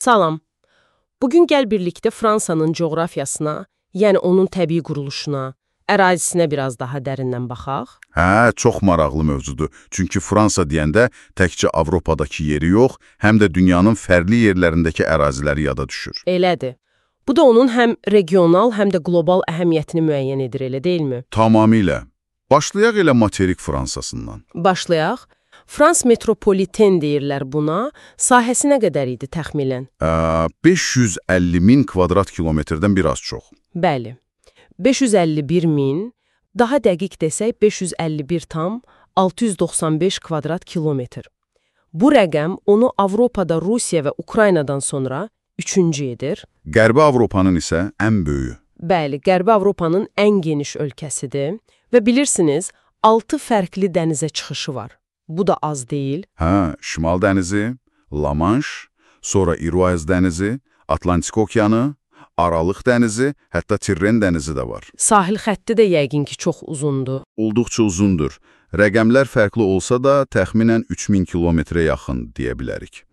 Salam. Bugün gəl birlikdə Fransanın coğrafiyasına, yəni onun təbii quruluşuna, ərazisinə biraz daha dərindən baxaq. Hə, çox maraqlı mövzudur. Çünki Fransa deyəndə təkcə Avropadakı yeri yox, həm də dünyanın fərqli yerlərindəki əraziləri yada düşür. Elədir. Bu da onun həm regional, həm də qlobal əhəmiyyətini müəyyən edir, elə deyilmi? Tamamilə. Başlayaq elə materik Fransasından. Başlayaq. Frans metropoliten deyirlər buna. Sahəsi nə qədər idi təxminən? 550 min kvadrat kilometrdən biraz çox. Bəli. 551 min, daha dəqiq desək 551,695 kvadrat kilometr. Bu rəqəm onu Avropada Rusiya və Ukraynadan sonra üçüncü edir. Qərbi Avropanın isə ən böyüyü. Bəli, Qərbi Avropanın ən geniş ölkəsidir və bilirsiniz, 6 fərqli dənizə çıxışı var. Bu da az deyil. Hə, Şimal dənizi, La Manche, sonra İroaz dənizi, Atlantik okeanı, Aralıq dənizi, hətta Tirren dənizi də var. Sahil xətti də yəqin ki, çox uzundur. Olduqca uzundur. Rəqəmlər fərqli olsa da təxminən 3000 kilometrə yaxın deyə bilərik.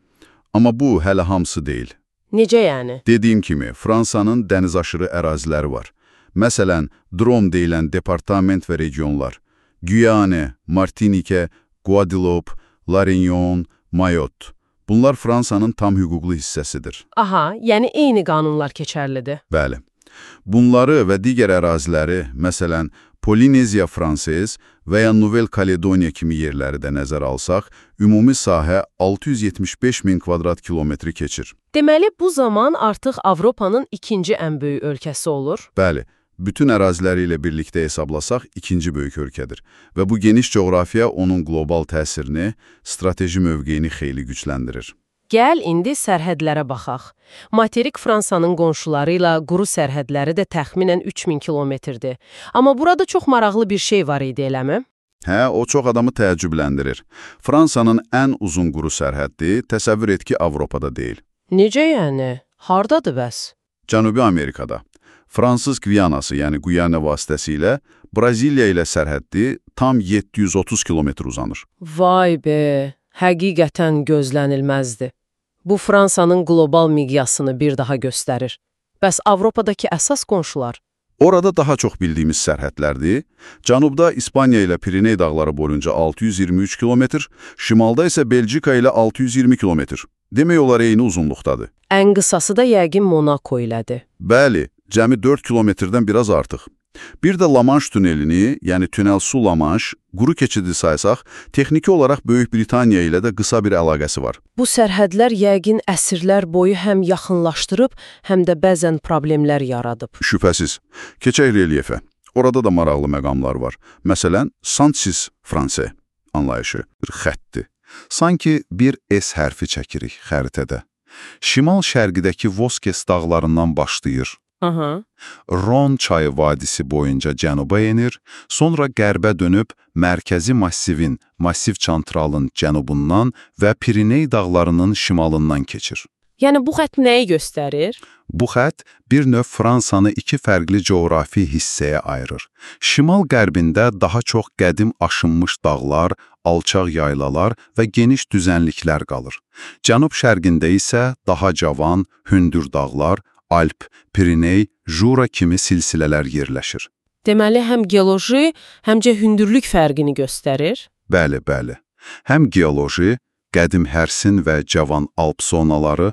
Amma bu hələ hamısı deyil. Necə yəni? Dediyim kimi, Fransanın dənizaşırı əraziləri var. Məsələn, Drôme deyilən departament və regionlar, Guyane, Martinique, Guadeloupe, La Réunion, Mayotte. Bunlar Fransanın tam hüquqlu hissəsidir. Aha, yəni eyni qanunlar keçərlidir. Bəli. Bunları və digər əraziləri, məsələn, Polineziya Fransız və ya Nouvelle-Calédonia kimi yerləri də nəzərə alsaq, ümumi sahə 675 min kvadrat kilometri keçir. Deməli, bu zaman artıq Avropanın ikinci ən böyük ölkəsi olur. Bəli. Bütün əraziləri ilə birlikdə hesablasaq ikinci böyük ölkədir və bu geniş coğrafiya onun qlobal təsirini, strateji mövqeyini xeyli gücləndirir. Gəl indi sərhədlərə baxaq. Materik Fransanın qonşuları ilə quru sərhədləri də təxminən 3000 kilometrdir. Amma burada çox maraqlı bir şey var idi, eləmi? Hə, o çox adamı təəccübləndirir. Fransanın ən uzun quru sərhəddi, təsəvvür et ki, Avropada deyil. Necə yəni? Hardadır bəs? Cənubi Amerikada. Fransız Gviyanası, yəni Guyana vasitəsilə Braziliya ilə sərhəddi tam 730 kilometr uzanır. Vay be, həqiqətən gözlənilməzdi. Bu Fransanın qlobal miqyasını bir daha göstərir. Bəs Avropadakı əsas qonşular? Orada daha çox bildiyimiz sərhədlərdir. Cənubda İspaniya ilə Piriney dağları boyunca 623 kilometr, şimalda isə Belçika ilə 620 kilometr. Demək olar eyni uzunluqdadır. Ən qısası da yəqin Monaco ilədir. Bəli, cəmi 4 kilometrdən biraz artıq. Bir də La Manche tünelini, yəni tünel su La Manche, quru keçidi saysaq, texniki olaraq Böyük Britaniya ilə də qısa bir əlaqəsi var. Bu sərhədlər yəqin əsrlər boyu həm yaxınlaşdırıb, həm də bəzən problemlər yaradıb. Şübhəsiz. Keçək relyefə. Orada da maraqlı məqamlar var. Məsələn, Santis Franse anlayışı bir xəttdir. Sanki bir S hərfi çəkirik xəritədə. Şimal-şərqidəki Voskes dağlarından başlayır. Ron çayı vadisi boyunca cənuba enir, sonra qərbə dönüb mərkəzi massivin, massiv çantralın cənubundan və Piriney dağlarının şimalından keçir. Yəni bu xətt nəyi göstərir? Bu xətt bir növ Fransanı iki fərqli coğrafi hissəyə ayırır. Şimal-qərbində daha çox qədim aşınmış dağlar, alçaq yaylalar və geniş düzənliklər qalır. Cənub-şərqində isə daha cavan, hündür dağlar, Alp, Piriney, Jura kimi silsilələr yerləşir. Deməli, həm geoloji, həmcə hündürlük fərqini göstərir? Bəli, bəli. Həm geoloji, qədim Hərsin və cavan Alp zonaları,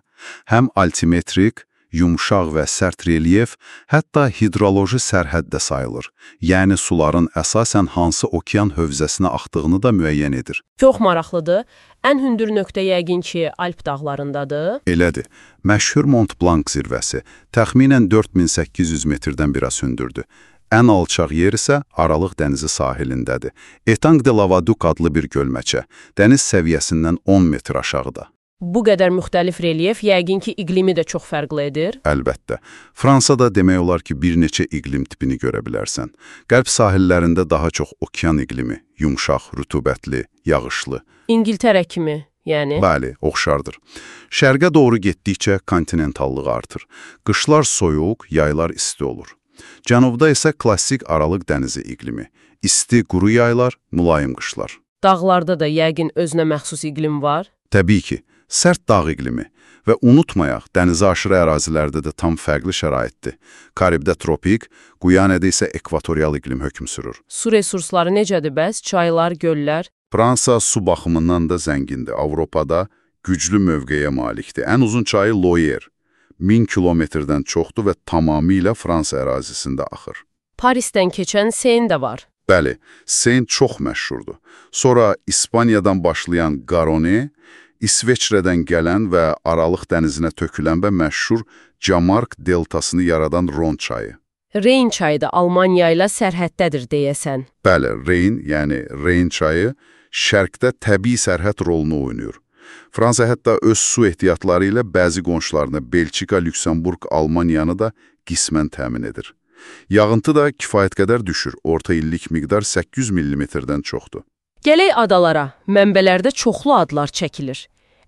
həm altimetrik, yumşaq və sərt relyef, hətta hidroloji sərhəd də sayılır. Yəni suların əsasən hansı okean hövzəsinə axdığını da müəyyən edir. Çox maraqlıdır. Ən hündür nöqtə yəqin ki, Alp dağlarındadır. Elədir. Məşhur Mont Blanc zirvəsi təxminən 4800 metrdən biraz hündürdür. Ən alçaq yer isə Aralıq dənizi sahilindədir. Etang de Lavaduc adlı bir gölməçə, dəniz səviyyəsindən 10 metr aşağıda. Bu qədər müxtəlif relyef yəqin ki, iqlimi də çox fərqli edir. Əlbəttə. Fransada demək olar ki, bir neçə iqlim tipini görə bilərsən. Qərb sahillərində daha çox okean iqlimi, yumşaq, rütubətli, yağışlı. İngiltərə kimi, yəni? Bəli, oxşardır. Şərqə doğru getdikcə kontinentallıq artır. Qışlar soyuq, yaylar isti olur. Cənubda isə klassik Aralıq dənizi iqlimi. İsti, quru yaylar, mülayim qışlar. Dağlarda da yəqin özünə məxsus iqlim var? Təbii ki. Sərt dağ iqlimi və unutmayaq, dənizi aşırı ərazilərdə də tam fərqli şəraitdir. Karibdə tropik, Guyanədə isə ekvatorial iqlim hökm sürür. Su resursları necədir bəs? Çaylar, göllər? Fransa su baxımından da zəngindir. Avropada güclü mövqeyə malikdir. Ən uzun çayı Loire, 1000 kilometrdən çoxdur və tamamilə Fransa ərazisində axır. Parisdən keçən Seine də var. Bəli, Seine çox məşhurdur. Sonra İspaniyadan başlayan Garonne, İsveçrədən gələn və Aralıq dənizinə tökülən və məşhur Camargue deltasını yaradan Ron çayı. Reyn çayı da Almaniya ilə sərhəddədir deyəsən. Bəli, Reyn, yəni Reyn çayı şərqdə təbii sərhəd rolunu oynayır. Fransa hətta öz su ehtiyatları ilə bəzi qonşularına Belçika, Lüksemburg, Almaniyanı da qismən təmin edir. Yağıntı da kifayət qədər düşür. Orta illik miqdar 800 mm-dən çoxdur. Gələk adalara. Mənbələrdə çoxlu adlar çəkilir.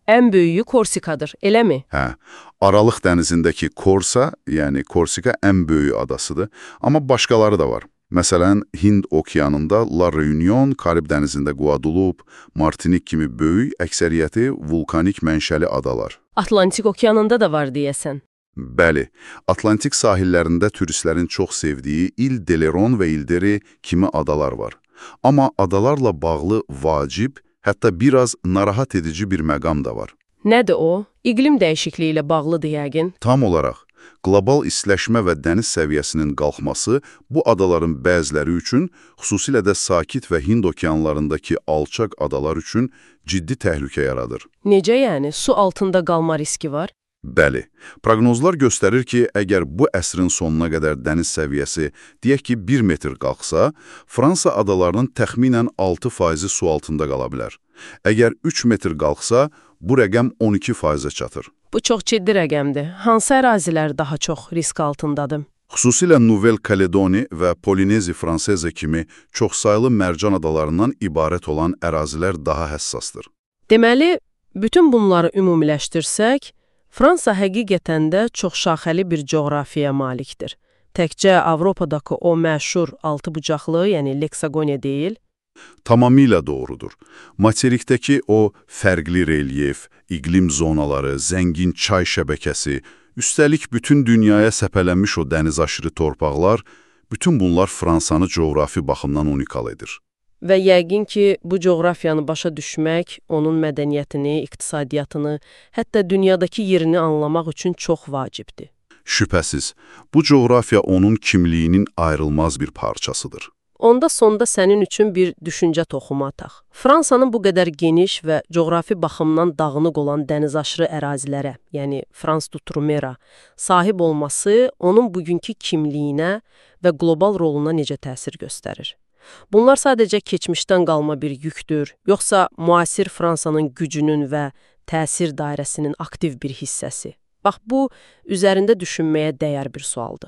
Ən böyüyü Korsikadır, eləmi? Hə, Aralıq dənizindəki Korsa, yəni Korsika ən böyük adasıdır, amma başqaları da var. Məsələn, Hind okeanında La Reunion, Karib dənizində Guadeloupe, Martinik kimi böyük, əksəriyyəti vulkanik mənşəli adalar. Atlantik okeanında da var deyəsən. Bəli, Atlantik sahillərində turistlərin çox sevdiyi İl-d'Oléron və İl-d'Eré kimi adalar var. Amma adalarla bağlı vacib, hətta biraz narahat edici bir məqam da var. Nədir o? İqlim dəyişikliyi ilə bağlıdır yəqin. Tam olaraq, qlobal istiləşmə və dəniz səviyyəsinin qalxması bu adaların bəziləri üçün, xüsusilə də Sakit və Hind okeanlarındakı alçaq adalar üçün ciddi təhlükə yaradır. Necə yəni? Su altında qalma riski var? Bəli, proqnozlar göstərir ki, əgər bu əsrin sonuna qədər dəniz səviyyəsi, deyək ki, 1 metr qalxsa, Fransa adalarının təxminən 6% su altında qala bilər. Əgər 3 metr qalxsa, bu rəqəm 12%-ə çatır. Bu çox ciddi rəqəmdir. Hansı ərazilər daha çox risk altındadır? Xüsusilə Nouvelle-Calédonie və Polinezi Franseze kimi çoxsaylı mərcan adalarından ibarət olan ərazilər daha həssasdır. Deməli, bütün bunları ümumiləşdirsək, Fransa həqiqətən də çoxşaxəli bir coğrafiyaya malikdir. Təkcə Avropadakı o məşhur altıbucaqlı, yəni Leksagoniya deyil. Tamamilə doğrudur. Materikdəki o fərqli relyef, iqlim zonaları, zəngin çay şəbəkəsi, üstəlik bütün dünyaya səpələnmiş o dənizaşırı torpaqlar, bütün bunlar Fransanı coğrafi baxımdan unikal edir. Və yəqin ki, bu coğrafiyanı başa düşmək, onun mədəniyyətini, iqtisadiyyatını, hətta dünyadakı yerini anlamaq üçün çox vacibdir. Şübhəsiz, bu coğrafiya onun kimliyinin ayrılmaz bir parçasıdır. Onda sonda sənin üçün bir düşüncə toxumu ataq. Fransanın bu qədər geniş və coğrafi baxımdan dağınıq olan dənizaşırı ərazilərə, yəni Frans d'Outre-Mer'a sahib olması onun bugünkü kimliyinə və qlobal roluna necə təsir göstərir? Bunlar sadəcə keçmişdən qalma bir yükdür, yoxsa müasir Fransanın gücünün və təsir dairəsinin aktiv bir hissəsi? Bax, bu, üzərində düşünməyə dəyər bir sualdır.